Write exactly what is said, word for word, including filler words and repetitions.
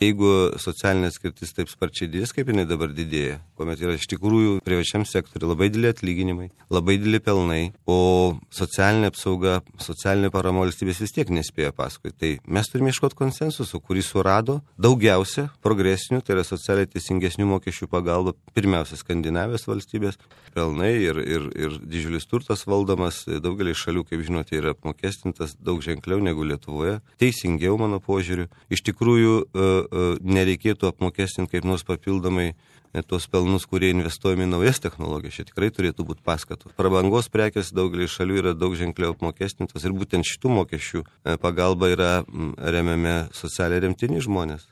Jeigu socialinė atskirtis taip sparčiai didės, kaip jinai dabar didėja, kuomet yra iš tikrųjų privačiam sektoriu labai dideli atlyginimai, labai dideli pelnai, o socialinė apsauga, socialinė parama valstybės vis tiek nespėja paskui. Tai mes turime ieškoti konsensuso, kurį surado daugiausia progresinių, tai yra socialiai teisingesnių mokesčių pagalba, pirmiausia Skandinavijos valstybės, pelnai ir, ir, ir didžiulis turtas valdomas, daugelį šalių, kaip žinote, yra apmokestintas daug ženkliau negu Lietuvoje, teisingiau mano požiūriu. Iš tikrųjų, nereikėtų apmokestinti kaip nors papildomai tos pelnus, kurie investuojami į naujas technologijas. Čia tikrai turėtų būti paskatų. Prabangos prekės daugelį šalių yra daug ženkliau apmokestintos ir būtent šitų mokesčių pagalba yra remiami socialiai remtini žmonės.